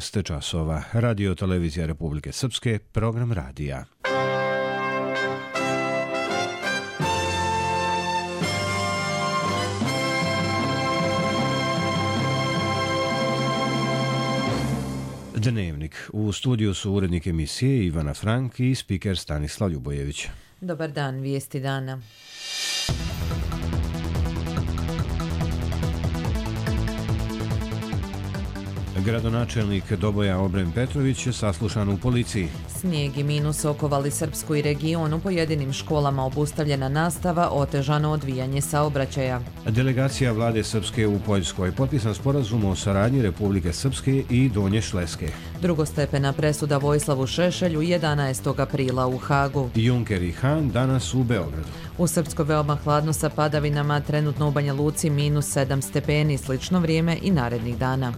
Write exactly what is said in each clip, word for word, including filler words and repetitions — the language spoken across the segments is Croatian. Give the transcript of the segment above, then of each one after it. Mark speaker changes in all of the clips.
Speaker 1: šest časova. Radio Televizija Republike Srpske, program radija. Dnevnik. U studiju su urednik emisije Ivana Frank i spiker Stanislav Ljubojević.
Speaker 2: Dobar dan, vijesti dana.
Speaker 1: Gradonačelnik Doboja Obren Petrović je saslušan u policiji.
Speaker 2: Snijeg i minus okovali Srpsku i region, u pojedinim školama obustavljena nastava, otežano odvijanje saobraćaja.
Speaker 1: Delegacija vlade Srpske u Poljskoj, potpisan sporazum o saradnji Republike Srpske i Donje Šleske.
Speaker 2: Drugostepena presuda Vojislavu Šešelju jedanaestog aprila u Hagu.
Speaker 1: Juncker i Han danas u Beogradu.
Speaker 2: U Srpskoj veoma hladno sa padavinama, trenutno u Banja Luci minus sedam stepeni, slično vrijeme i narednih dana.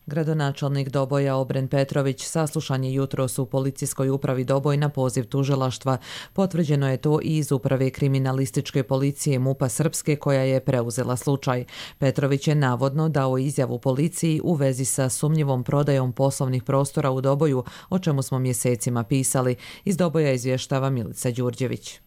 Speaker 2: Gradonačelnik Doboja Obren Petrović saslušan je jutros u policijskoj upravi Doboj na poziv tužilaštva. Potvrđeno je to i iz uprave kriminalističke policije MUP-a Srpske koja je preuzela slučaj. Petrović je navodno dao izjavu policiji u vezi sa sumnjivom prodajom poslovnih prostora u Doboju, o čemu smo mjesecima pisali. Iz Doboja izvještava Milica Đurđević.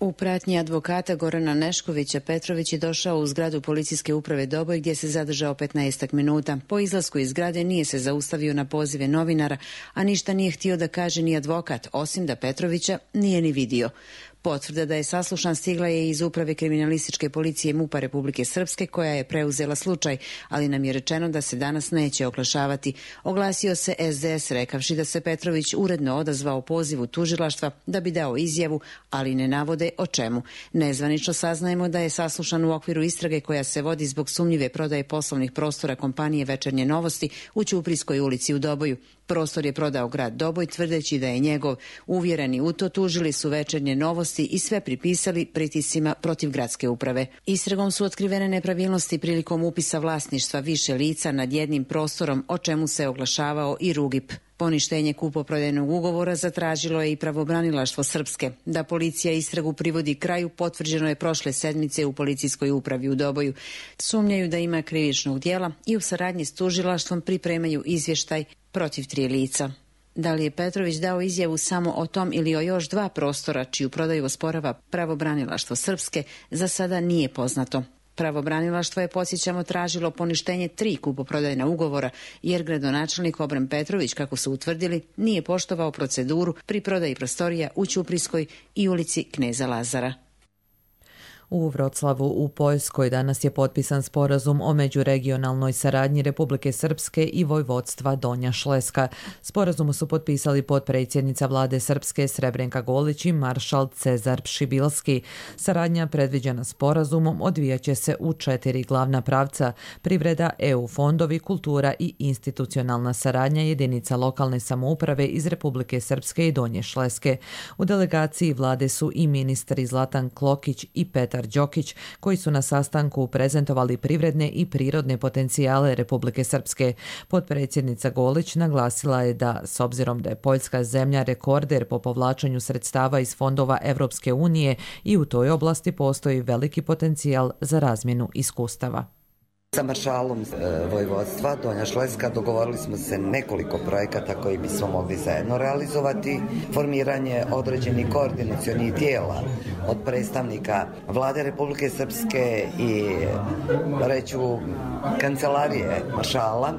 Speaker 3: U pratnji advokata Gorana Neškovića Petrović je došao u zgradu policijske uprave Doboj gdje se zadržao petnaestak minuta. Po izlasku iz zgrade nije se zaustavio na pozive novinara, a ništa nije htio da kaže ni advokat, osim da Petrovića nije ni vidio. Potvrda da je saslušan stigla je iz uprave kriminalističke policije MUP-a Republike Srpske koja je preuzela slučaj, ali nam je rečeno da se danas neće oglašavati. Oglasio se es de es rekavši da se Petrović uredno odazvao pozivu tužilaštva da bi dao izjavu, ali ne navode o čemu. Nezvanično saznajemo da je saslušan u okviru istrage koja se vodi zbog sumnjive prodaje poslovnih prostora kompanije Večernje novosti u Ćuprijskoj ulici u Doboju. Prostor je prodao grad Doboj tvrdeći da je njegov. Uvjereni u to tužili su Večernje novosti i sve pripisali pritiscima protiv gradske uprave. Istragom su otkrivene nepravilnosti prilikom upisa vlasništva više lica nad jednim prostorom, o čemu se oglašavao i Rugip. Poništenje kupoprodajnog ugovora zatražilo je i pravobranilaštvo Srpske. Da policija istragu privodi kraju potvrđeno je prošle sedmice u policijskoj upravi u Doboju. Sumnjaju da ima krivičnog djela i u saradnji s tužilaštvom pripremaju izvještaj protiv tri lica. Da li je Petrović dao izjavu samo o tom ili o još dva prostora čiju prodaju osporava pravobranilaštvo Srpske, za sada nije poznato. Pravobranilaštvo je, podsjećamo, tražilo poništenje tri kupoprodajna ugovora jer gradonačelnik Obren Petrović, kako su utvrdili, nije poštovao proceduru pri prodaji prostorija u Ćuprijskoj i ulici Kneza Lazara.
Speaker 2: U Vroclavu u Poljskoj danas je potpisan sporazum o međuregionalnoj saradnji Republike Srpske i vojvodstva Donja Šleska. Sporazumu su potpisali potpredsjednica vlade Srpske Srebrenka Golić i maršal Cezar Pšibilski. Saradnja predviđena sporazumom odvijaće se u četiri glavna pravca: privreda, E U fondovi, kultura i institucionalna saradnja jedinica lokalne samouprave iz Republike Srpske i Donje Šleske. U delegaciji vlade su i ministri Zlatan Klokić i Petar Đokić, koji su na sastanku prezentovali privredne i prirodne potencijale Republike Srpske. Potpredsjednica Golić naglasila je da, s obzirom da je Poljska zemlja rekorder po povlačenju sredstava iz fondova Evropske unije, i u toj oblasti postoji veliki potencijal za razmjenu iskustava.
Speaker 4: Sa maršalom vojvodstva Donja Šleska dogovorili smo se nekoliko projekata koji bismo mogli zajedno realizovati. Formiranje određenih koordinacionih tijela od predstavnika vlade Republike Srpske i reću kancelarije maršala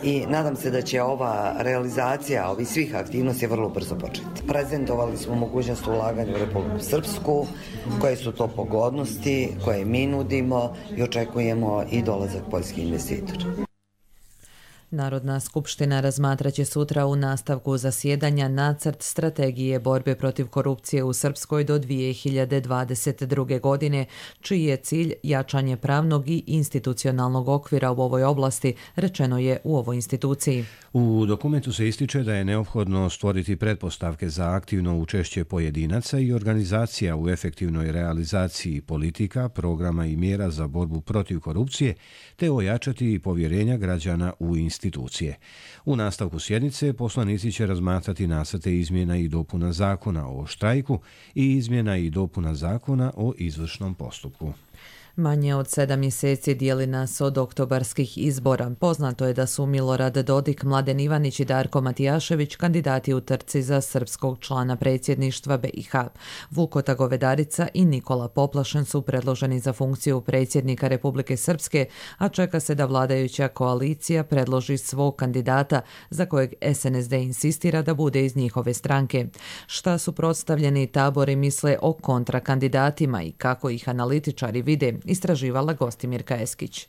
Speaker 4: i nadam se da će ova realizacija ovih svih aktivnosti vrlo brzo početi. Prezentovali smo mogućnost ulaganja u Republiku Srpsku, koje su to pogodnosti, koje mi nudimo i očekujemo i dolazak poljskih investitora.
Speaker 2: Narodna skupština razmatraće sutra u nastavku zasjedanja nacrt strategije borbe protiv korupcije u Srpskoj do dvije hiljade dvadeset druge. godine, čiji je cilj jačanje pravnog i institucionalnog okvira u ovoj oblasti, rečeno je u ovoj instituciji.
Speaker 1: U dokumentu se ističe da je neophodno stvoriti pretpostavke za aktivno učešće pojedinaca i organizacija u efektivnoj realizaciji politika, programa i mjera za borbu protiv korupcije, te ojačati povjerenja građana u institucije. institucije. U nastavku sjednice poslanici će razmatrati nacrte izmjena i dopuna zakona o štrajku i izmjena i dopuna zakona o izvršnom postupku.
Speaker 2: Manje od sedam mjeseci dijeli nas od oktobarskih izbora. Poznato je da su Milorad Dodik, Mladen Ivanić i Darko Matijašević kandidati u trci za srpskog člana predsjedništva B i H. Vukota Govedarica i Nikola Poplašen su predloženi za funkciju predsjednika Republike Srpske, a čeka se da vladajuća koalicija predloži svog kandidata za kojeg S N S D insistira da bude iz njihove stranke. Šta suprotstavljeni tabori misle o kontrakandidatima i kako ih analitičari vide, istraživala Gostimirka Eskić.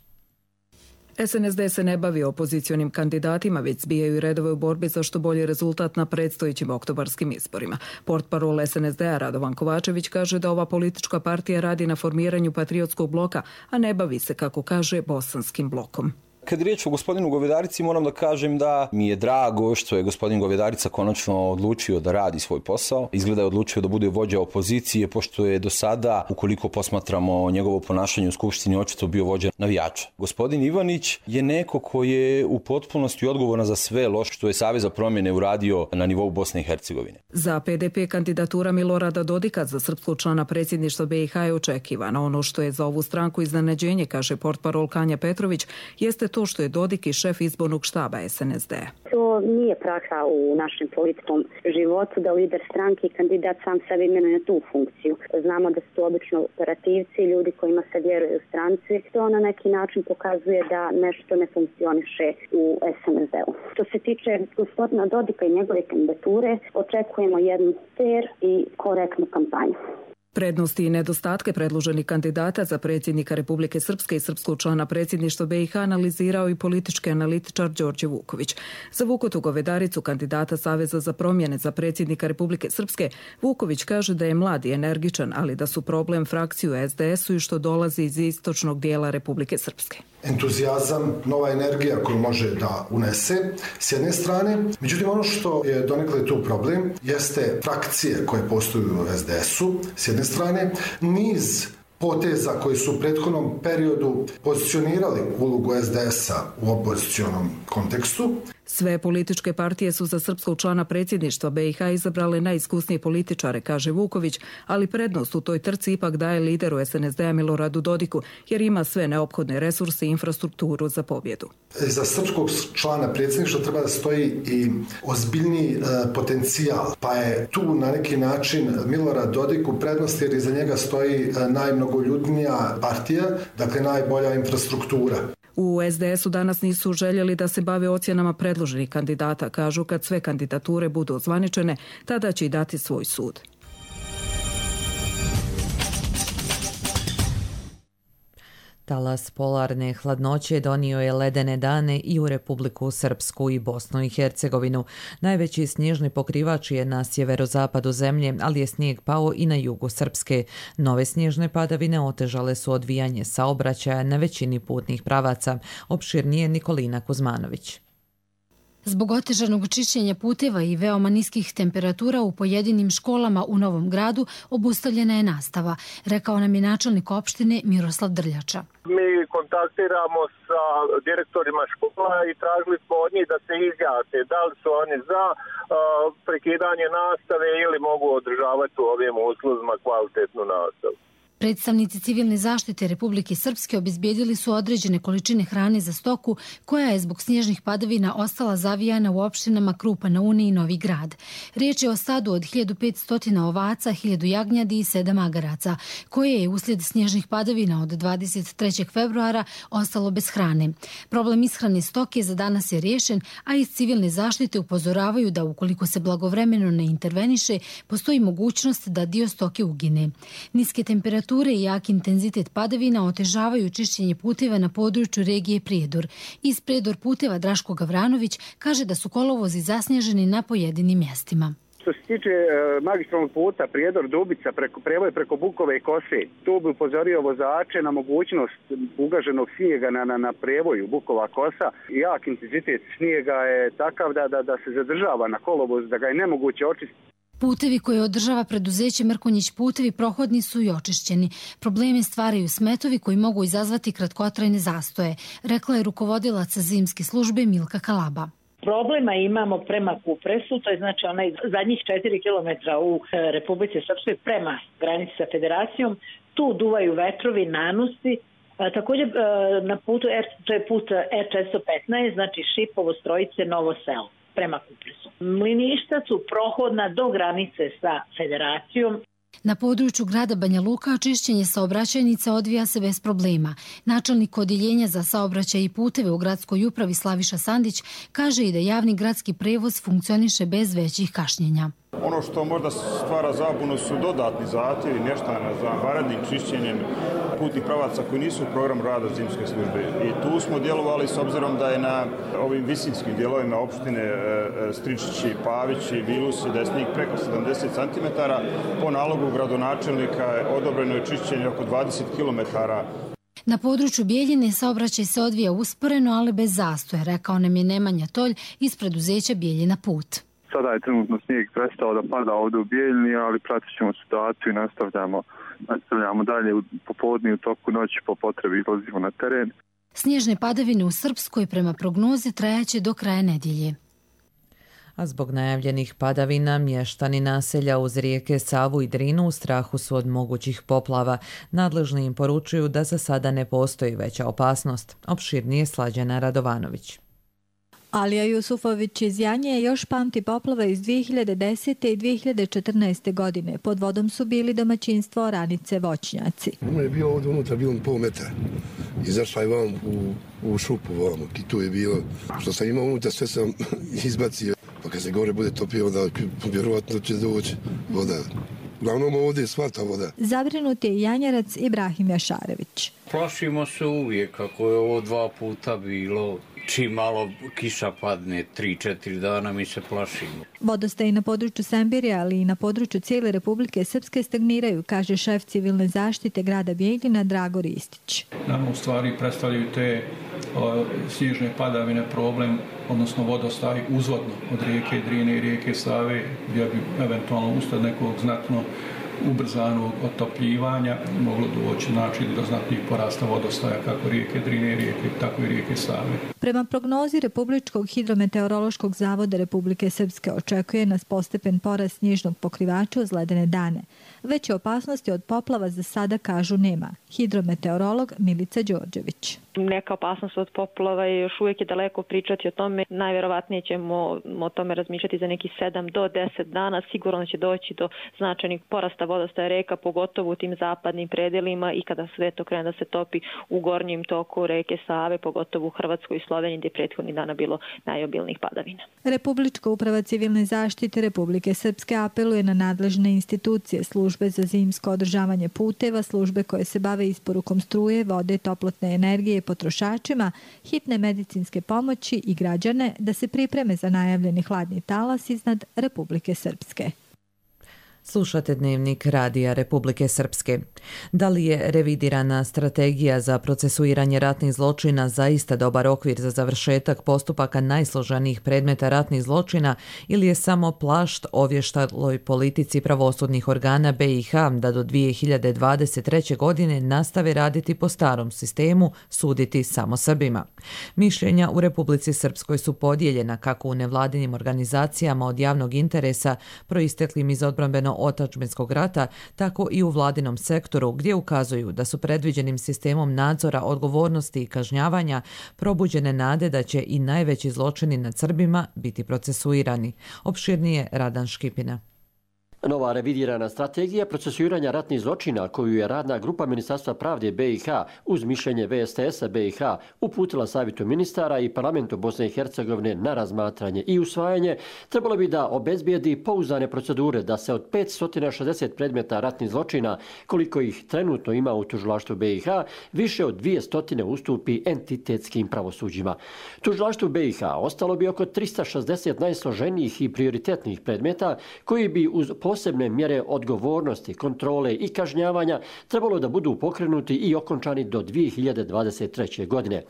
Speaker 5: S N S D se ne bavi opozicionim kandidatima, već zbijaju redove u borbi za što bolji rezultat na predstojećim oktobarskim izborima. Portparol S N S D-a Radovan Kovačević kaže da ova politička partija radi na formiranju patriotskog bloka, a ne bavi se, kako kaže, bosanskim blokom.
Speaker 6: Kad je riječ o gospodinu Govedarici, moram da kažem da mi je drago što je gospodin Govedarica konačno odlučio da radi svoj posao. Izgleda je odlučio da bude vođa opozicije, pošto je do sada, ukoliko posmatramo njegovo ponašanje u Skupštini, očito bio vođa navijača. Gospodin Ivanić je neko koji je u potpunosti odgovoran za sve loše što je Savez za promjene uradio na nivou Bosne i Hercegovine.
Speaker 5: Za P D P kandidatura Milorada Dodika za srpskog člana predsjedništva B i H je očekivana. Ono što je za ovu stranku iznenađenje, kaže portparol Kanja Petrović, jeste to što je Dodik i šef izbornog štaba S N S D.
Speaker 7: To nije praksa u našem političkom životu da lider stranke i kandidat sam sebi imenuje na tu funkciju. Znamo da su to obično operativci, ljudi kojima se vjeruje u stranci. To na neki način pokazuje da nešto ne funkcioniše u S N S D-u. Što se tiče gospodina Dodika i njegove kandidature, očekujemo jednu fer i korektnu kampanju.
Speaker 5: Prednosti i nedostatke predloženih kandidata za predsjednika Republike Srpske i srpskog člana predsjedništva B i H analizirao i politički analitičar Đorđe Vuković. Za Vukotu Govedaricu, kandidata Saveza za promjene za predsjednika Republike Srpske, Vuković kaže da je mlad i energičan, ali da su problem frakciju S D S-u i što dolazi iz istočnog dijela Republike Srpske.
Speaker 8: Entuzijazam, nova energija koju može da unese s jedne strane. Međutim, ono što je donekle tu problem jeste frakcije koje postoju u S D S-u s jedne strane, niz poteza koji su u prethodnom periodu pozicionirali ulogu S D S-a u opozicionom kontekstu.
Speaker 5: Sve političke partije su za srpskog člana predsjedništva B i H izabrale najiskusnije političare, kaže Vuković, ali prednost u toj trci ipak daje lideru S N S D-a Miloradu Dodiku, jer ima sve neophodne resurse i infrastrukturu za pobjedu.
Speaker 8: Za srpskog člana predsjedništva treba da stoji i ozbiljniji e, potencijal, pa je tu na neki način Milorad Dodik u prednosti jer iza njega stoji e, najmnogoljudnija partija, dakle najbolja infrastruktura.
Speaker 5: U S D S-u danas nisu željeli da se bave ocjenama predloženih kandidata. Kažu kad sve kandidature budu ozvaničene, tada će i dati svoj sud.
Speaker 2: Talas polarne hladnoće donio je ledene dane i u Republiku Srpsku i Bosnu i Hercegovinu. Najveći snježni pokrivač je na sjeverozapadu zemlje, ali je snijeg pao i na jugu Srpske. Nove snježne padavine otežale su odvijanje saobraćaja na većini putnih pravaca. Opširnije Nikolina Kuzmanović.
Speaker 9: Zbog otežanog čišćenja puteva i veoma niskih temperatura u pojedinim školama u Novom Gradu obustavljena je nastava, rekao nam je načelnik opštine Miroslav Drljača.
Speaker 10: Mi kontaktiramo sa direktorima škola i tražili smo od njih da se izjasne da li su oni za uh, prekidanje nastave ili mogu održavati u ovim uslovima kvalitetnu nastavu.
Speaker 9: Predstavnici civilne zaštite Republike Srpske obezbijedili su određene količine hrane za stoku koja je zbog snježnih padavina ostala zavijana u opštinama Krupa na Uni i Novi Grad. Riječ je o stadu od hiljadu petsto ovaca, hiljadu jagnjadi i sedam magaraca, koje je uslijed snježnih padavina od dvadeset trećeg februara ostalo bez hrane. Problem ishrane stoke za danas je riješen, a iz civilne zaštite upozoravaju da ukoliko se blagovremeno ne interveniše, postoji mogućnost da dio stoke ugine. Niske temperature i jak intenzitet padavina otežavaju čišćenje puteva na području regije Prijedor. Iz Prijedor puteva Draško Gavranović kaže da su kolovozi zasnježeni na pojedinim mjestima.
Speaker 11: Što se tiče e, magistralnog puta Prijedor-Dubica, preko, prevoj preko Bukove i Kose, tu bi upozorio vozače na mogućnost ugaženog snijega na, na, na prevoju Bukova-Kosa. Jak intenzitet snijega je takav da, da, da se zadržava na kolovoz, da ga je nemoguće očistiti.
Speaker 9: Putevi koje održava preduzeće Mrkonjić putevi prohodni su i očišćeni. Probleme stvaraju smetovi koji mogu izazvati kratkotrajne zastoje, rekla je rukovodilac zimske službe Milka Kalaba.
Speaker 12: Problema imamo prema Kupresu, to je znači onaj zadnjih četiri kilometra u Republici Srpskoj prema granici sa Federacijom. tu duvaju vetrovi, nanosi. Također na putu, to je put E četiristo petnaest, znači Šipovo, Strojice, Novo Selo, prema Kupresu. Mliništa su prohodna do granice sa Federacijom.
Speaker 9: Na području grada Banja Luka čišćenje saobraćajnica odvija se bez problema. Načelnik odjeljenja za saobraćaj i puteve u gradskoj upravi Slaviša Sandić kaže i da javni gradski prevoz funkcioniše bez većih kašnjenja.
Speaker 13: Ono što možda stvara zabunu su dodatni zahtjevi mještana za vanrednim čišćenjem putnih pravaca koji nisu u programu rada zimske službe. I tu smo djelovali s obzirom da je na ovim visinskim dijelovima opštine Stričići, Pavići, Vilusi, da je snijeg preko sedamdeset centimetara. Po nalogu gradonačelnika odobreno je čišćenje oko dvadeset kilometara.
Speaker 9: Na području Bijeljine saobraćaj se odvija usporeno, ali bez zastoja, rekao nam je Nemanja Tolj iz preduzeća Bijeljina put.
Speaker 14: Sada je trenutno snijeg prestao da pada ovdje u Bijeljini, ali pratit ćemo situaciju i nastavljamo, nastavljamo dalje u popodne, u toku noći po potrebi izlazimo na teren.
Speaker 9: Snježne padavine u Srpskoj prema prognozi trajaće do kraja nedjelje.
Speaker 2: A zbog najavljenih padavina mještani naselja uz rijeke Savu i Drinu u strahu su od mogućih poplava. Nadležni im poručuju da za sada ne postoji veća opasnost. Opširnije Slađana Radovanović.
Speaker 15: Alija Jusufović iz Janje još pamti poplave iz dvije hiljade desete i dvije hiljade četrnaeste. godine. Pod vodom su bili domaćinstvo Oranice Voćnjaci.
Speaker 16: Ono je bio ovdje unutra, bilo pol metra. Izašla je vam u, u šupu, vam, i tu je bilo. Što sam imao unutra, sve sam izbacio. Pa kad se gore bude topio, onda vjerovatno će doći voda. Uglavnom ovdje je sva ta voda.
Speaker 15: Zabrinut je i Janjarac Ibrahim Jašarević.
Speaker 17: Plašimo se uvijek, kako je ovo dva puta bilo. Čim malo kiša padne, tri četiri dana, mi se plašimo.
Speaker 15: Vodostaji na području Sembirja, ali i na području cijele Republike Srpske stagniraju, kaže šef civilne zaštite grada Bijeljina Drago Ristić.
Speaker 18: Nama u stvari predstavljaju te o, snježne padavine problem, odnosno vodostaj uzvodno od rijeke Drine i rijeke Save, gdje bi eventualno usled nekog znatno ubrzanog otopljivanja moglo doći znači do znatnijih porasta vodostaja kako rijeke Drine, rijeke, tako i rijeke Save.
Speaker 15: Prema prognozi Republičkog hidrometeorološkog zavoda Republike Srpske očekuje nas postepen porast snježnog pokrivača uz ledene dane. Veće opasnosti od poplava za sada, kažu, nema. Hidrometeorolog Milica Đorđević.
Speaker 19: Neka opasnost od poplava je još uvijek je daleko pričati o tome. Najvjerovatnije ćemo o tome razmišljati za neki sedam do deset dana. Sigurno će doći do značajnih porasta vodostaja reka, pogotovo u tim zapadnim predelima i kada sve to krene da se topi u gornjem toku reke Save, pogotovo u Hrvatskoj i Sloveniji, gdje je prethodnih dana bilo najobilnijih padavina.
Speaker 15: Republička uprava civilne zaštite Republike Srpske apeluje na nadležne institucije, službe za zimsko održavanje puteva, službe koje se bave isporukom struje, vode, toplotne energije potrošačima, hitne medicinske pomoći i građane da se pripreme za najavljeni hladni talas iznad Republike Srpske.
Speaker 2: Slušate Dnevnik Radija Republike Srpske. Da li je revidirana strategija za procesuiranje ratnih zločina zaista dobar okvir za završetak postupaka najsloženijih predmeta ratnih zločina ili je samo plašt ovještaloj politici pravosudnih organa B i H da do dvije hiljade dvadeset treće. godine nastave raditi po starom sistemu, suditi samo Srbima? Mišljenja u Republici Srpskoj su podijeljena kako u nevladinim organizacijama od javnog interesa proisteklim iz odbrambeno otadžbinskog rata, tako i u vladinom sektoru gdje ukazuju da su predviđenim sistemom nadzora, odgovornosti i kažnjavanja probuđene nade da će i najveći zločini nad Srbima biti procesuirani. Opširnije Radan Škipina.
Speaker 20: Nova revidirana strategija procesuiranja ratnih zločina koju je radna grupa Ministarstva pravde B i H uz mišljenje V S T S-a B i H uputila Savjetu ministara i Parlamentu Bosne i Hercegovine na razmatranje i usvajanje, trebalo bi da obezbijedi pouzdane procedure da se od petsto šezdeset predmeta ratnih zločina, koliko ih trenutno ima u tužilaštvu B i H, više od dvjesto ustupi entitetskim pravosuđima. Tužilaštvu B i H ostalo bi oko tristo šezdeset najsloženijih i prioritetnih predmeta koji bi uz posebne mjere odgovornosti, kontrole i kažnjavanja trebalo da budu pokrenuti i okončani do dvije hiljade dvadeset treće. godine.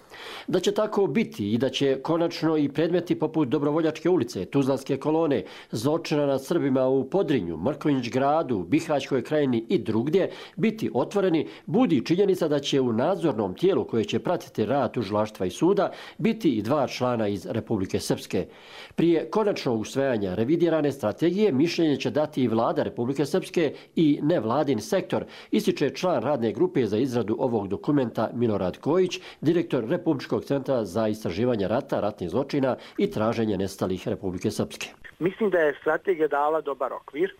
Speaker 20: Da će tako biti i da će konačno i predmeti poput Dobrovoljačke ulice, Tuzlanske kolone, zločina nad Srbima u Podrinju, Mrkonjić gradu, Bihaćkoj krajini i drugdje biti otvoreni, budi činjenica da će u nadzornom tijelu koje će pratiti rad tužilaštva i suda biti i dva člana iz Republike Srpske. Prije konačnog usvajanja revidirane strategije mišljenje će dati i vlada Republike Srpske i nevladin sektor, ističe član radne grupe za izradu ovog dokumenta Milorad Kojić, direktor Republičkog centra za istraživanje rata, ratnih zločina i traženje nestalih Republike Srpske.
Speaker 21: Mislim da je strategija dala dobar okvir,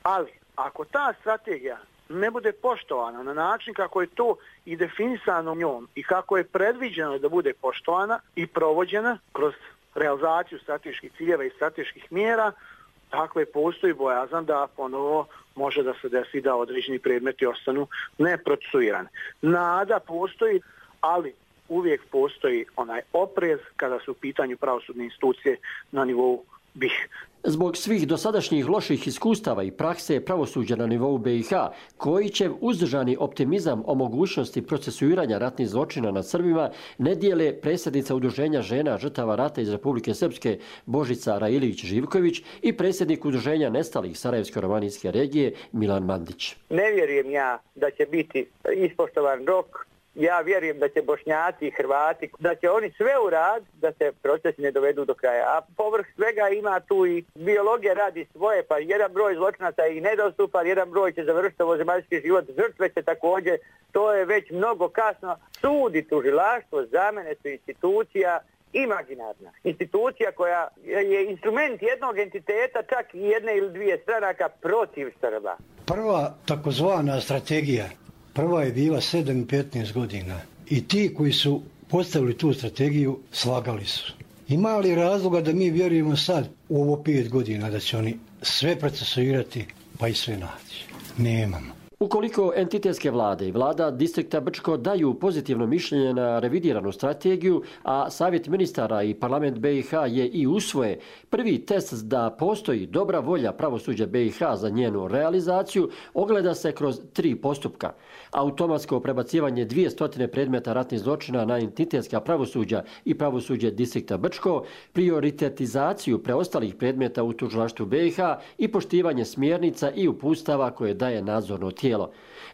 Speaker 21: ali ako ta strategija ne bude poštovana na način kako je to i definisano njom i kako je predviđeno da bude poštovana i provođena kroz realizaciju strateških ciljeva i strateških mjera, dakle postoji bojazan da ponovo može da se desi da određeni predmeti ostanu neprocesuirani. Nada postoji, ali uvijek postoji onaj oprez kada su u pitanju pravosudne institucije na nivou B i H.
Speaker 20: Zbog svih dosadašnjih loših iskustava i prakse pravosuđa na nivou B i H, Kojićev uzdržani optimizam o mogućnosti procesuiranja ratnih zločina nad Srbima ne dijele predsjednica Udruženja žena žrtava rata iz Republike Srpske Božica Railić-Živković i predsjednik Udruženja nestalih Sarajevsko-romanijske regije Milan Mandić.
Speaker 22: Ne vjerujem ja da će biti ispoštovan rok. Ja vjerujem da će Bošnjaci i Hrvati, da će oni sve uraditi da se procesi ne dovedu do kraja. A povrh svega ima tu i biologija radi svoje, pa jedan broj zločinaca je i nedostupan, jedan broj će završiti ovozemaljski život, žrtve će također, to je već mnogo kasno. Sud i tužilaštvo za mene su institucija imaginarna. Institucija koja je instrument jednog entiteta, čak i jedne ili dvije stranaka protiv Srba.
Speaker 23: Prva takozvana strategija Prva je bila sedam i petnaest godina i ti koji su postavili tu strategiju slagali su. Ima li razloga da mi vjerujemo sad u ovo pet godina da će oni sve procesuirati pa i sve naći? Nemamo.
Speaker 20: Ukoliko entitetske vlade i vlada distrikta Brčko daju pozitivno mišljenje na revidiranu strategiju, a Savjet ministara i parlament B i H je i usvoje, prvi test da postoji dobra volja pravosuđa B i H za njenu realizaciju ogleda se kroz tri postupka. Automatsko prebacivanje dvjesto predmeta ratnih zločina na entitetska pravosuđa i pravosuđe distrikta Brčko, prioritetizaciju preostalih predmeta u tužilaštvu B i H i poštivanje smjernica i uputstava koje daje nadzorno tijelo.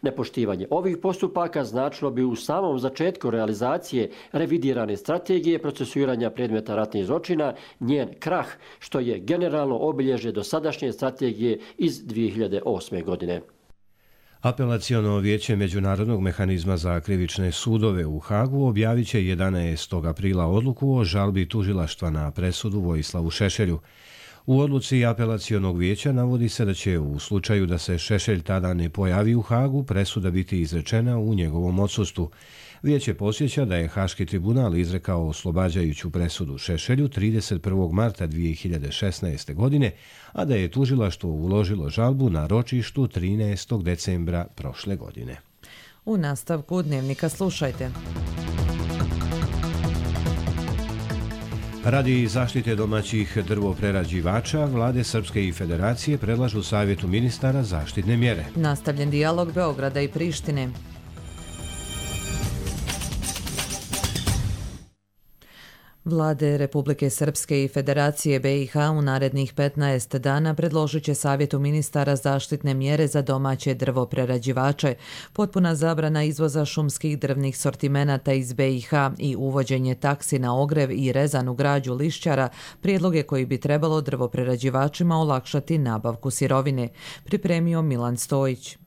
Speaker 20: Nepoštivanje ovih postupaka značilo bi u samom začetku realizacije revidirane strategije procesuiranja predmeta ratnih zločina njen krah, što je generalno obilježje dosadašnje strategije iz dvije hiljade osme. godine.
Speaker 1: Apelaciono vijeće Međunarodnog mehanizma za krivične sudove u Hagu objavit će jedanaestog aprila odluku o žalbi tužilaštva na presudu Vojislavu Šešelju. U odluci apelacionog vijeća navodi se da će u slučaju da se Šešelj tada ne pojavi u Hagu presuda biti izrečena u njegovom odsustvu. Vijeće podsjeća da je Haški tribunal izrekao oslobađajuću presudu Šešelju trideset prvog marta dvije hiljade šesnaeste. godine, a da je tužilaštvo uložilo žalbu na ročištu trinaestog decembra prošle godine.
Speaker 2: U nastavku dnevnika slušajte.
Speaker 1: Radi zaštite domaćih drvoprerađivača, vlade Srpske i Federacije predlažu Savjetu ministara zaštitne mjere.
Speaker 2: Nastavljen dijalog Beograda i Prištine. Vlade Republike Srpske i Federacije B i H u narednih petnaest dana predložit će Savjetu ministara zaštitne mjere za domaće drvoprerađivače, potpuna zabrana izvoza šumskih drvnih sortimenata iz B i H i uvođenje taksi na ogrev i rezanu građu lišćara, prijedloge koji bi trebalo drvoprerađivačima olakšati nabavku sirovine, pripremio Milan Stojić.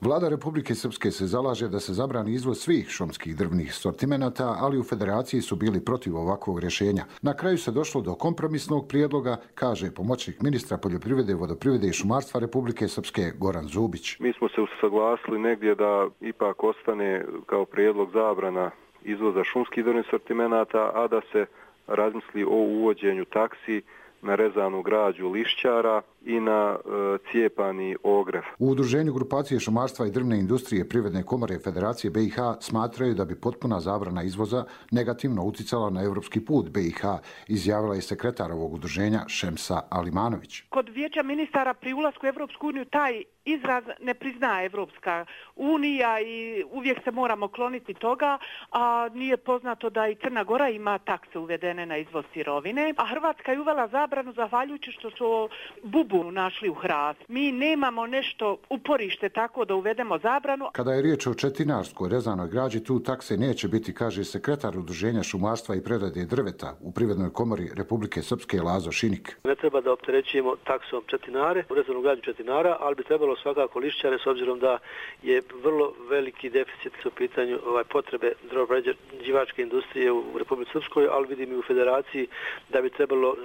Speaker 24: Vlada Republike Srpske se zalaže da se zabrani izvoz svih šumskih drvnih sortimenata, ali u Federaciji su bili protiv ovakvog rješenja. Na kraju se došlo do kompromisnog prijedloga, kaže pomoćnik ministra poljoprivrede, vodoprivrede i šumarstva Republike Srpske Goran Zubić.
Speaker 25: Mi smo se usaglasili negdje da ipak ostane kao prijedlog zabrana izvoza šumskih drvnih sortimenata, a da se razmisli o uvođenju taksi na rezanu građu lišćara i na e, cijepani ogrev.
Speaker 24: U udruženju grupacije šumarstva i drvne industrije Privredne komore Federacije B i H smatraju da bi potpuna zabrana izvoza negativno uticala na evropski put B i H, izjavila je sekretar ovog udruženja Šemsa Alimanović.
Speaker 26: Kod vijeća ministara pri ulasku u Evropsku uniju taj izraz ne priznaje Evropska unija i uvijek se moramo kloniti toga, a nije poznato da i Crna Gora ima takse uvedene na izvoz sirovine, a Hrvatska je uvela zabranu zahvaljujući što su bub uzbunu našli u hrast. Mi nemamo nešto uporište tako da uvedemo zabranu.
Speaker 24: Kada je riječ o četinarskoj rezanoj građi, tu takse neće biti, kaže sekretar Udruženja šumarstva i prerade drveta u Privrednoj komori Republike Srpske Lazo Šinik.
Speaker 3: Ne treba da opterećujemo taksom četinare, rezanu građu četinara, ali bi trebalo svakako lišćare s obzirom da je vrlo veliki deficit u pitanju ovaj, potrebe drvoprerađivačke industrije u Republike Srpskoj, ali vidim i u Federaciji da bi trebalo uh,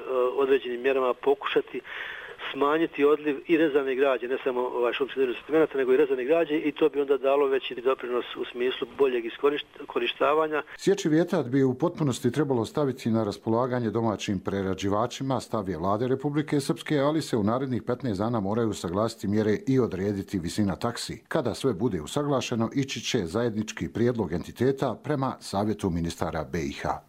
Speaker 3: određenim mjerama pokušati smanjiti odliv i rezane građe, ne samo ovaj šumskih drvnih sortimenata, nego i rezane građe i to bi onda dalo veći doprinos u smislu boljeg iskorištavanja.
Speaker 24: Sječi vjetar bi u potpunosti trebalo staviti na raspolaganje domaćim prerađivačima, stav je Vlade Republike Srpske, ali se u narednih petnaest dana moraju usaglasiti mjere i odrediti visina taksi. Kada sve bude usaglašeno, ići će zajednički prijedlog entiteta prema Savjetu ministara B i H.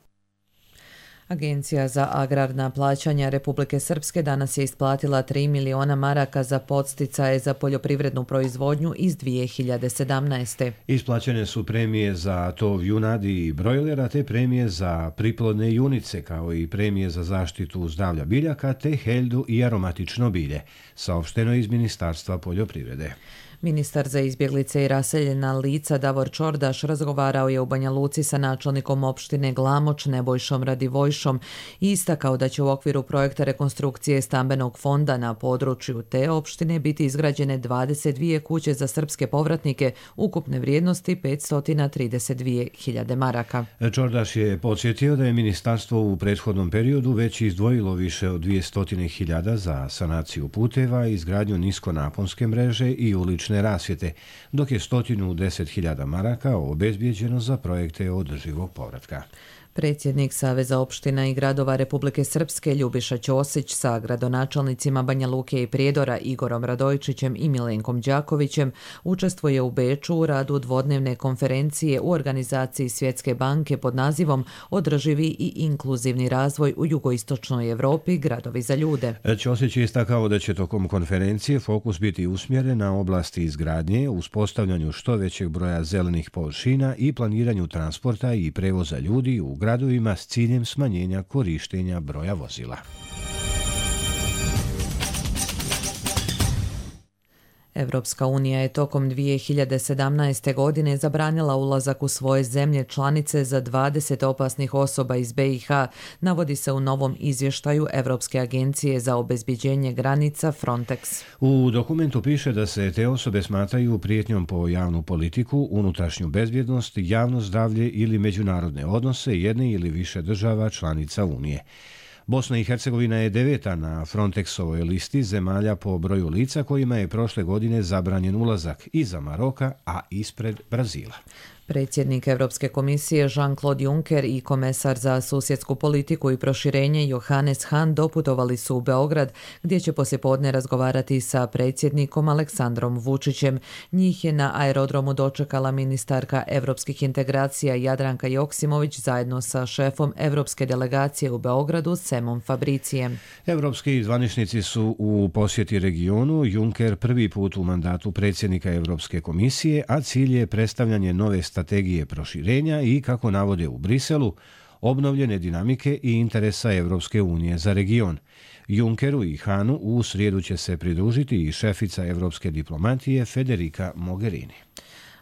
Speaker 2: Agencija za agrarna plaćanja Republike Srpske danas je isplatila tri miliona maraka za podsticaje za poljoprivrednu proizvodnju iz dvije hiljade sedamnaeste.
Speaker 1: Isplaćene su premije za tov junadi i brojlera, te premije za priplodne junice, kao i premije za zaštitu zdravlja biljaka, te heljdu i aromatično bilje, saopšteno iz Ministarstva poljoprivrede.
Speaker 2: Ministar za izbjeglice i raseljena lica Davor Čordaš razgovarao je u Banja Luci sa načelnikom opštine Glamoč Nebojšom Radivojšom i istakao da će u okviru projekta rekonstrukcije stambenog fonda na području te opštine biti izgrađene dvadeset dvije kuće za srpske povratnike ukupne vrijednosti petsto trideset dvije hiljade maraka.
Speaker 1: Čordaš je podsjetio da je ministarstvo u prethodnom periodu već izdvojilo više od dvjesto hiljada za sanaciju puteva, izgradnju niskonaponske mreže i ulične rasvjete, dok je sto deset hiljada maraka obezbijeđeno za projekte održivog povratka.
Speaker 2: Predsjednik Saveza opština i gradova Republike Srpske Ljubiša Ćosić sa gradonačelnicima Banja Luke i Prijedora Igorom Radojčićem i Milenkom Đakovićem učestvuje u Beču u radu dvodnevne konferencije u organizaciji Svjetske banke pod nazivom Održivi i inkluzivni razvoj u jugoistočnoj Evropi, gradovi za ljude.
Speaker 1: Ćosić je istakao da će tokom konferencije fokus biti usmjeren na oblasti izgradnje, uspostavljanju što većeg broja zelenih površina i planiranju transporta i prevoza ljudi u gradovima s ciljem smanjenja korištenja broja vozila.
Speaker 2: Evropska unija je tokom dvije hiljade sedamnaeste. godine zabranila ulazak u svoje zemlje članice za dvadeset opasnih osoba iz B i H, navodi se u novom izvještaju Evropske agencije za obezbjeđenje granica Frontex.
Speaker 1: U dokumentu piše da se te osobe smatraju prijetnjom po javnu politiku, unutrašnju bezbjednost, javno zdravlje ili međunarodne odnose jedne ili više država članica Unije. Bosna i Hercegovina je deveta na Frontexovoj listi zemalja po broju lica kojima je prošle godine zabranjen ulazak, iza Maroka, a ispred Brazila.
Speaker 2: Predsjednik Evropske komisije Jean-Claude Juncker i komesar za susjedsku politiku i proširenje Johannes Hahn doputovali su u Beograd, gdje će poslijepodne razgovarati sa predsjednikom Aleksandrom Vučićem. Njih je na aerodromu dočekala ministarka evropskih integracija Jadranka Joksimović zajedno sa šefom evropske delegacije u Beogradu Semom Fabricijem.
Speaker 1: Evropski zvaničnici su u posjeti regionu, Juncker prvi put u mandatu predsjednika Evropske komisije, a cilj je predstavljanje nove strategije proširenja i, kako navode u Briselu, obnovljene dinamike i interesa Evropske unije za region. Junckeru i Hanu u srijedu će se pridružiti i šefica evropske diplomatije Federica Mogherini.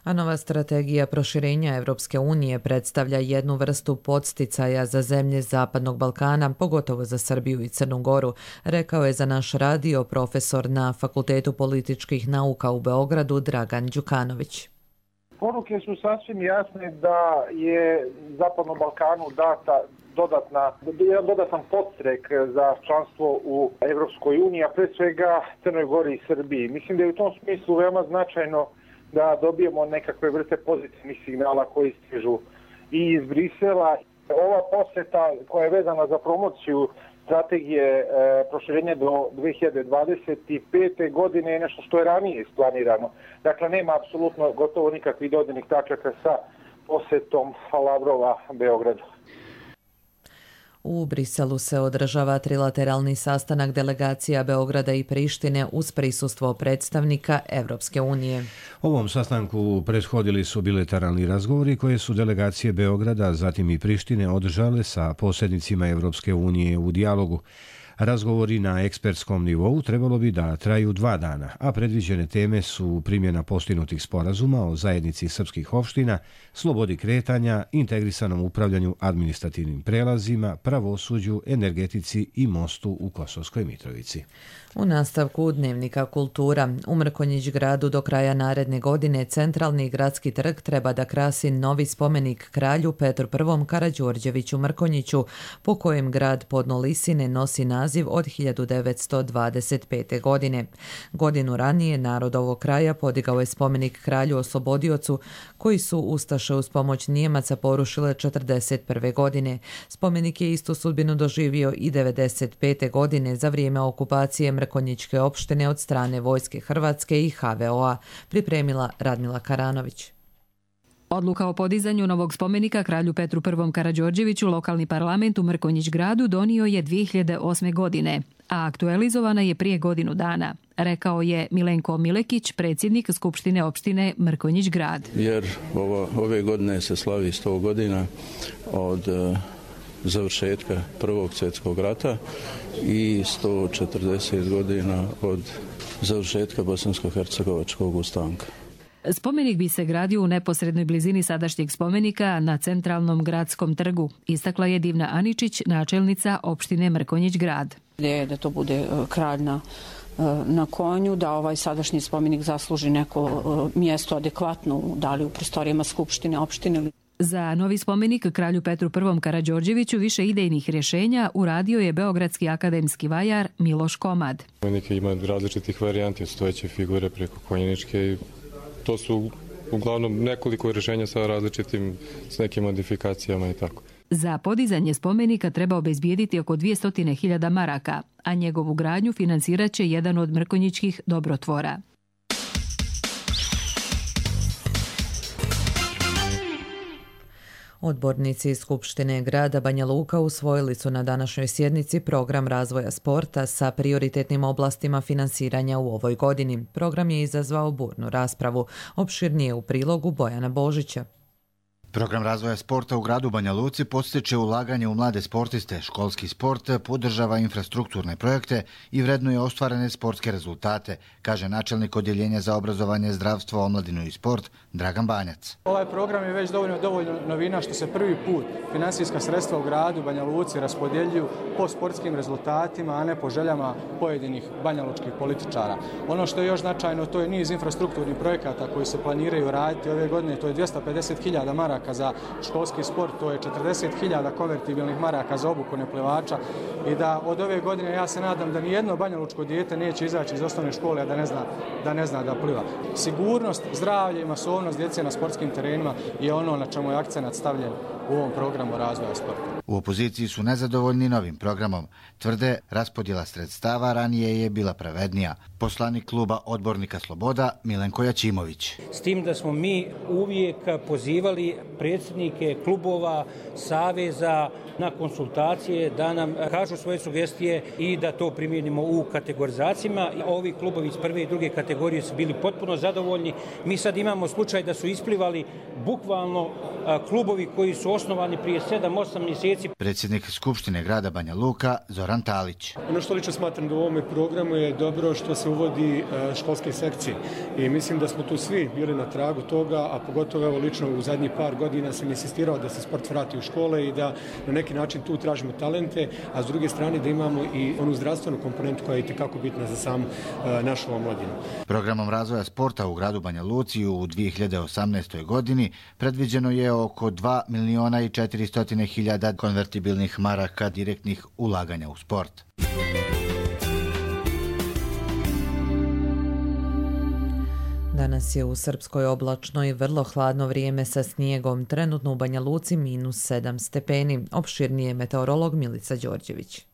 Speaker 2: A nova strategija proširenja Evropske unije predstavlja jednu vrstu podsticaja za zemlje Zapadnog Balkana, pogotovo za Srbiju i Crnu Goru, rekao je za naš radio profesor na Fakultetu političkih nauka u Beogradu Dragan Đukanović.
Speaker 4: Poruke su sasvim jasne da je Zapadnom Balkanu data dodatna, jedan dodatan podstrek za članstvo u Evropskoj uniji, a pre svega Crnoj Gori i Srbiji. Mislim da je u tom smislu veoma značajno da dobijemo nekakve vrste pozitivnih signala koji stižu i iz Brisela. Ova posjeta koja je vezana za promociju strategije e, proširenja do dvije hiljade dvadeset pete. godine je nešto što je ranije isplanirano. Dakle, nema apsolutno gotovo nikakvih dodirnih tačaka sa posjetom Lavrova Beogradu.
Speaker 2: U Briselu se održava trilateralni sastanak delegacija Beograda i Prištine uz prisustvo predstavnika Evropske unije.
Speaker 1: Ovom sastanku prethodili su bilateralni razgovori koje su delegacije Beograda, zatim i Prištine održale sa posrednicima Evropske unije u dijalogu. Razgovori na ekspertskom nivou trebalo bi da traju dva dana, a predviđene teme su primjena postignutih sporazuma o zajednici srpskih opština, slobodi kretanja, integrisanom upravljanju administrativnim prelazima, pravosuđu, energetici i mostu u Kosovskoj Mitrovici.
Speaker 2: U nastavku Dnevnika kultura, u Mrkonjić gradu do kraja naredne godine centralni gradski trg treba da krasi novi spomenik kralju Petru I. Karađorđeviću Mrkonjiću, po kojem grad Podno Lisine nosi naziv od hiljadu devetsto dvadeset pete. godine. Godinu ranije narod ovog kraja podigao je spomenik kralju oslobodiocu, koji su ustaše uz pomoć Nijemaca porušile četrdeset prve. godine. Spomenik je istu sudbinu doživio i devedeset pete. godine za vrijeme okupacije Mrkonjićke opštine od strane Vojske Hrvatske i ha ve o a, pripremila Radmila Karanović.
Speaker 5: Odluka o podizanju novog spomenika kralju Petru I. Karađorđeviću lokalni parlament u Mrkonjić gradu donio je dvije hiljade osme. godine, a aktualizovana je prije godinu dana, rekao je Milenko Milekić, predsjednik Skupštine opštine Mrkonjić grad.
Speaker 6: Jer ovo, ove godine se slavi sto godina od uh, završetka Prvog svjetskog rata i sto četrdeset godina od završetka Bosansko-hercegovačkog ustanka.
Speaker 5: Spomenik bi se gradio u neposrednoj blizini sadašnjeg spomenika na centralnom gradskom trgu, istakla je Divna Aničić, načelnica opštine Mrkonjić grad.
Speaker 7: Ideja da to bude kralj na, na konju, da ovaj sadašnji spomenik zasluži neko mjesto adekvatno, da li u prostorijama skupštine, opštine.
Speaker 5: Za novi spomenik kralju Petru I. Karađorđeviću više idejnih rješenja uradio je beogradski akademski vajar Miloš Komad.
Speaker 8: Spomenik ima različitih varijanti od stojeće figure preko konjeničke i to su uglavnom nekoliko rješenja sa različitim, s nekim modifikacijama i tako.
Speaker 5: Za podizanje spomenika treba obezbijediti oko dvjesto hiljada maraka, a njegovu gradnju financirat će jedan od mrkonjićkih dobrotvora.
Speaker 2: Odbornici iz Skupštine grada Banja Luka usvojili su na današnjoj sjednici program razvoja sporta sa prioritetnim oblastima finansiranja u ovoj godini. Program je izazvao burnu raspravu. Opširnije u prilogu Bojana Božića.
Speaker 10: Program razvoja sporta u gradu Banja Luci podstiče ulaganje u mlade sportiste, školski sport, podržava infrastrukturne projekte i vrednuje ostvarene sportske rezultate, kaže načelnik Odjeljenja za obrazovanje, zdravstvo, omladinu i sport Dragan Banjac.
Speaker 11: Ovaj program je već dovoljno, dovoljno novina što se prvi put finansijska sredstva u gradu Banja Luci raspodjeljuju po sportskim rezultatima, a ne po željama pojedinih banjalučkih političara. Ono što je još značajno, to je niz infrastrukturnih projekata koji se planiraju raditi ove godine, to je dvjesto pedeset hiljada maraka za školski sport, to je četrdeset hiljada konvertibilnih maraka za obuku neplivača i da od ove godine ja se nadam da nijedno banjalučko dijete neće izaći iz osnovne škole, a da ne zna da, ne zna da pliva. Sigurnost, zdravlje i masovnost djece na sportskim terenima je ono na čemu je akcenat stavljen u ovom programu razvoja sporta.
Speaker 10: U opoziciji su nezadovoljni novim programom. Tvrde, raspodjela sredstava ranije je bila pravednija. Poslanik kluba odbornika Sloboda Milenko Jačimović.
Speaker 27: S tim da smo mi uvijek pozivali predsjednike klubova, saveza na konsultacije da nam kažu svoje sugestije i da to primijenimo u kategorizacijama. Ovi klubovi iz prve i druge kategorije su bili potpuno zadovoljni. Mi sad imamo slučaj da su isplivali bukvalno klubovi koji su osnovani prije sedam osam mjeseci.
Speaker 10: Predsjednik Skupštine grada Banja Luka Zoran Talić.
Speaker 28: Ono što lično smatram da u ovome programu je dobro što se uvodi školske sekcije i mislim da smo tu svi bili na tragu toga, a pogotovo evo lično u zadnjih par godina sam insistirao da se sport vrati u škole i da na neki način tu tražimo talente, a s druge strane da imamo i onu zdravstvenu komponentu koja je itekako bitna za samu našu omladinu.
Speaker 10: Programom razvoja sporta u gradu Banja Luci u dvije hiljade osamnaestoj. godini predviđeno je oko dva miliona i četiristo hiljada konvertibilnih maraka direktnih ulaganja u sport.
Speaker 2: Danas je u Srpskoj oblačno i vrlo hladno vrijeme sa snijegom. Trenutno u Banja Luci minus sedam stepeni. Opširnije meteorolog Milica Đorđević.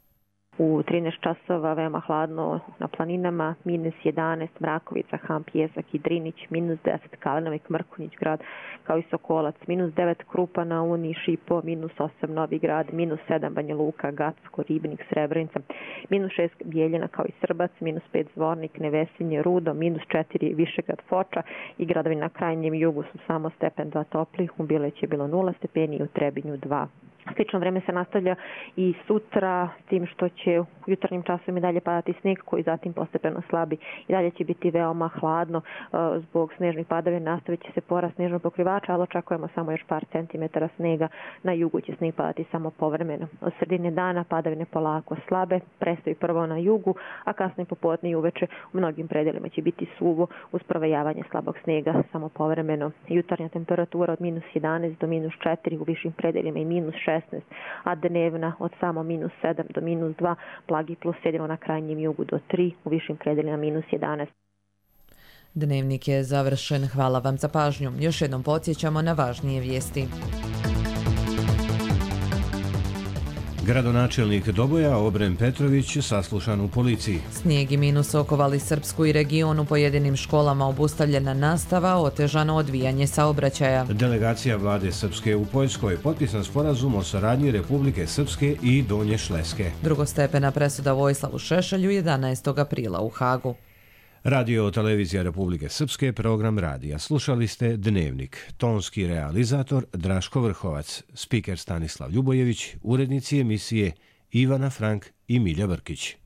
Speaker 29: U trinaest časova veoma hladno na planinama, minus jedanaest Mrakovica, Han, Pjesak i Drinić, minus deset Kalenovik, Mrkonjić grad, kao i Sokolac, minus devet Krupa na Uni, Šipo, minus osam Novi grad, minus sedam Banja Luka, Gacko, Ribnik, Srebrenica, minus šest Bijeljina kao i Srbac, minus pet Zvornik, Nevesinje, Rudo, minus četiri Višegrad, Foča i gradovi na krajnjem jugu su samo stepen dva topli, u Bileći je bilo nula stepeni i u Trebinju dva. Slično vreme se nastavlja i sutra, tim što će u jutarnjim časovima i dalje padati sneg koji zatim postepeno slabi. I dalje će biti veoma hladno zbog snežnih padavina, nastavit će se porast snežnog pokrivača, ali očekujemo samo još par centimetara snega. Na jugu će sneg padati samo povremeno. Od sredine dana padavine polako slabe, prestaju prvo na jugu, a kasnije popodne i uveče u mnogim predelima će biti suvo uz provejavanje slabog snega samo povremeno. Jutarnja temperatura od minus jedanaest do minus četiri u višim predelima i minus šesnaest, a dnevna od samo minus sedam do minus dva, blagi plus jedino na krajnjem jugu do tri, u višim predelima minus jedanaest.
Speaker 2: Dnevnik je završen. Hvala vam za pažnju. Još jednom podsjećamo na važnije vijesti.
Speaker 1: Gradonačelnik Doboja Obren Petrović saslušan u policiji.
Speaker 2: Snijeg i minus okovali Srpsku i region, u pojedinim školama obustavljena nastava, otežano odvijanje saobraćaja.
Speaker 1: Delegacija vlade Srpske u Poljskoj, potpisan sporazum o saradnji Republike Srpske i Donje Šleske.
Speaker 2: Drugostepena presuda Vojislavu Šešelju jedanaestog aprila u Hagu.
Speaker 1: Radio televizija Republike Srpske, program radija. Slušali ste Dnevnik. Tonski realizator Draško Vrhovac, spiker Stanislav Ljubojević, urednici emisije Ivana Frank i Milja Brkić.